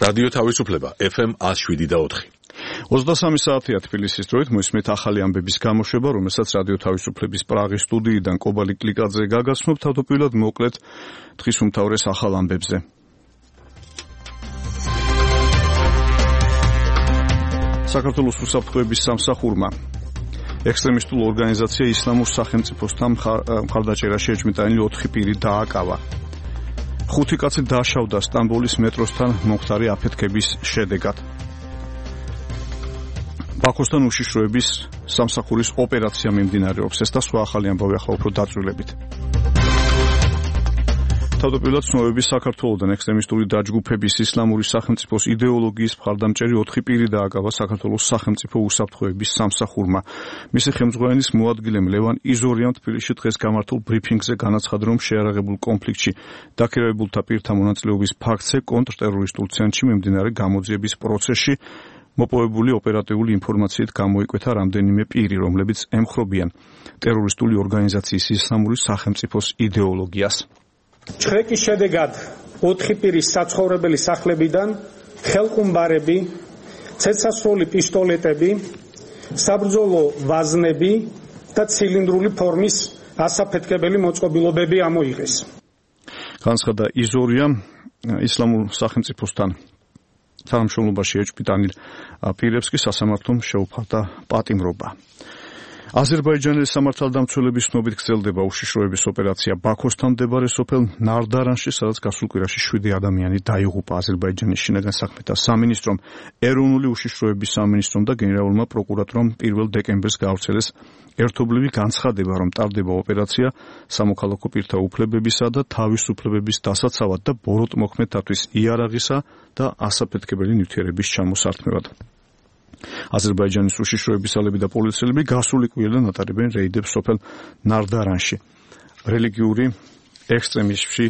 რადიო თავისუფლება FM 107.4. 23 საათია თბილისის დროით მოისმენთ ახალი ამბების გამოშვება, რომელსაც რადიო თავისუფლების პრაღის სტუდიიდან კობალი კლიკაძე გაგაცნობთ. თავდაპირველად მოკლედ დღის უმთავრეს ახალ ამბებზე. საქართველოს უსაფრთხოების სამსახურმა ექსტრემისტულ ორგანიზაცია ისლამურ სახელმწიფოსთან მხარდაჭერაში ეჭვმიტანილი 4 პირი დააკავა. 5 კაცი დაშავდა სტამბოლის მეტროსთან მომხდარი აფეთქების შედეგად. ბაქოსთან უშიშროების სამსახურის ოპერაცია მიმდინარეობს. ეს და სხვა ახალი ამბავი ახლა უფრო დაწვრილებით. თავდაპირველად ცნობების საქართველოსთან ექსტრემისტული დაჯგუფების ისლამური სახელმწიფოს იდეოლოგიის მხარდამჭერი 4 პირი დააკავა საქართველოს სახელმწიფო უსაფრთხოების სამსახურმა. მისი ხელმძღვანელის მოადგილემ ლევან იზორიამ თბილისში დღეს გამართულ ბრიფინგზე განაცხადა, რომ შეიარაღებულ კონფლიქტში დაქირავებულთა პირთა მონაწილეობის ფაქტზე კონტრტერორისტულ ცენტრში მიმდინარე გამოძიების პროცესში მოპოვებული ოპერატიული ინფორმაციით გამოიკვეთა რამდენიმე პირი, რომლებიც ემხრობიან ტერორისტული ორგანიზაციის ისლამური სახელმწიფოს იდეოლოგიას. ჩხრეკის შედეგად 4 პირის საცხოვრებელი სახლებიდან ხელყუმბარები, ცეცხლსასროლი პისტოლეტები, საბრძოლო ვაზნები და ცილინდრული ფორმის ასაფეთქებელი მოწყობილობები ამოიღეს. განცხადა იზორიამ ისლამურ სახელმწიფოსთან თანამშრომლობაში ეჭვმიტანილ პირებს კი სასამართლომ შეუფარდა პატიმრობა. აზერბაიჯანის სამართალდამცველების ცნობით გრძელდება უშიშროების ოპერაცია ბაქოსთან მდებარე სოფელ ნარდარანში, სადაც გასულ კვირაში 7 ადამიანი დაიღუპა. აზერბაიჯანის შინაგან საქმეთა სამინისტრომ, ეროვნული უშიშროების სამინისტრომ და გენერალურმა პროკურატურამ 1 დეკემბერს გაავრცელეს ერთობლივი განცხადება, რომ ტარდება ოპერაცია სამოქალაქო პირთა უფლებებისა და თავისუფლებების დასაცავად და ბოროტმოქმედთათვის იარაღისა და ასაფეთქებელი ნივთიერების ჩამოსართმევად. აზერბაიჯანის უშიშროებისალები და პოლიციელები გასული კვირიდან ატარებენ რეიდებს სოფელ ნარდარანში. რელიგიური ექსტრემიზმში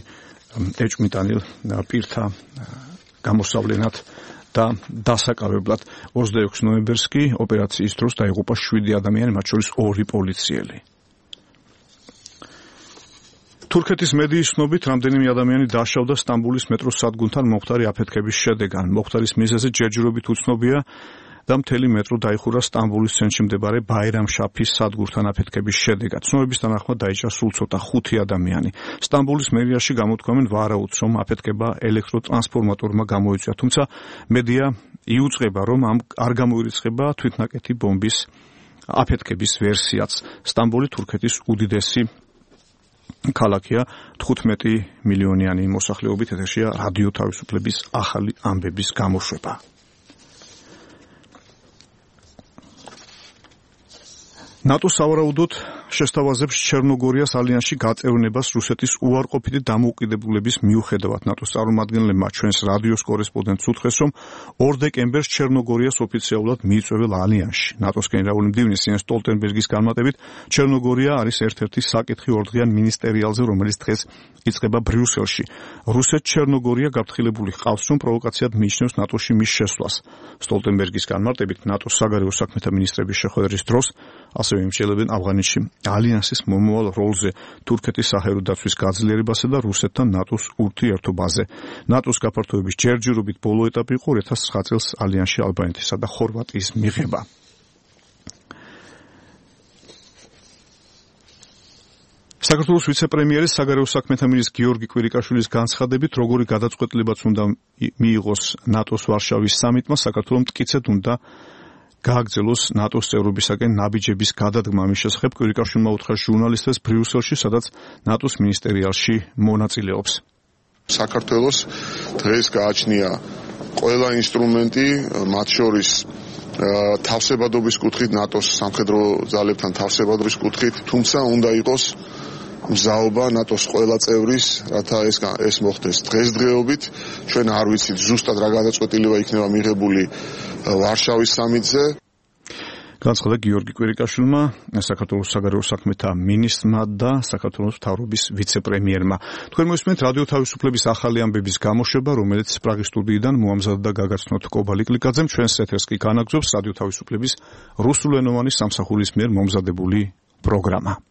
ეჭვმიტანილ პირთა გამოსავლენად და დასაკავებლად 26 ნოემბერს კი ოპერაციის დროს დაიღუპა 7 ადამიანი, მათ შორის 2 პოლიციელი. თურქეთის მედიის ცნობით, რამდენიმე ადამიანი დაშავდა სტამბოლის მეტროს სადგურთან მომხდარი აფეთქების შედეგად. მომხდარის მიზეზი ჯერჯერობით უცნობია და მთელი მეტრო დაიხურა სტამბოლის ცენტრში მდებარე ბაირამშაფის სადგურთან აფეთქების შედეგად. ცნობების თანახმად დაიჭრა სულ ცოტა 5 ადამიანი. სტამბოლის მერიაში გამოთქვამენ ვარაუდს, რომ აფეთქება ელექტროტრანსფორმატორმა გამოიწვია, თუმცა მედია იუწყება, რომ არ გამოირიცხება თვითნაკეთი ბომბის აფეთქების ვერსიაც. სტამბოლი თურქეთის უდიდესი ქალაქია, 15 მილიონიანი მოსახლეობით. ეთერშია რადიო თავისუფლების ახალი ამბების გამოშვება. ნატო სავარაუდოდ შესთავაზებს ჩერნოგორიას ალიანსში გაწევრებას რუსეთის უარყოფითი დამოუკიდებლობის მიუხედავად. ნატოს წარმომადგენლებმა ჩვენს რადიოს კორესპონდენტს უთხრეს, რომ 2 დეკემბერს ჩერნოგორიას ოფიციალურად მიიწვევენ ალიანსში. ნატოს გენერალური მდივნის იენს სტოლტენბერგის განმარტებით, ჩერნოგორია არის ერთ-ერთი საკითხი ორდღიან მინისტერიალზე, რომელიც დღეს იწყება ბრიუსელში. რუსეთ-ჩერნოგორია გაფრთხილებული ჰყავს, რომ პროვოკაციად მიიჩნევს ნატოში მის შესვლას. სტოლტენბერგის განმარტებით, ნატოს საგარეო საქმეთა მინისტრების შეხვედრის დროს ასევე იმსჯელებენ ავღანეთში ალიანსის მომავალ როლზე, თურქეთის საჰაერო დაცვის გაძლიერებასა და რუსეთთან ნატოს ურთიერთობაზე. ნატოს გაფართოების ჯერჯერობით ბოლო ეტაპი იყო 2009 წელს ალიანსში ალბანეთისა და ხორვატიის მიღება. საქართველოს ვიცე-პრემიერის საგარეო საქმეთა მინისტრის გიორგი კვირიკაშვილის განცხადებით, როგორი გადაწყვეტილებაც უნდა მიიღოს ნატოს ვარშავის სამიტმა, საქართველოს მტკიცედ უნდა გააგრძელოს ნატოს წევრობისაკენ ნაბიჯების გადადგმა. მის შესახებ კვირიკაშვილმა უთხრა ჟურნალისტებს ბრიუსელში, სადაც ნატოს მინისტერიალში მონაწილეობს. საქართველოს დღეს გააჩნია ყველა ინსტრუმენტი, მათ შორის თავსებადობის კუთხით, ნატოს სამხედრო ძალებთან თავსებადობის კუთხით, თუმცა უნდა იყოს მზაობა ნატოს ყველა წევრის, რათა ეს მოხდეს დღესდღეობით. ჩვენ არ ვიცით ზუსტად რა გადაწყვეტილება იქნება მიღებული ვარშავის სამიტზე. განცხადა გიორგი კვირიკაშვილმა, საქართველოს საგარეო საქმეთა მინისტრმა და საქართველოს მთავრობის ვიცე-პრემიერმა. თქვენ მოსმენთ რადიო თავისუფლების ახალი ამბების გამოშვება, რომელიც პრაღის სტუდიიდან მოამზადდა და გაგაცნოთ კობალი კლიკაძემ. ჩვენს ეთერს კი განაგრძობს რადიო თავისუფლების რუსულენოვანი სამსახურის მიერ მომზადებული პროგრამა.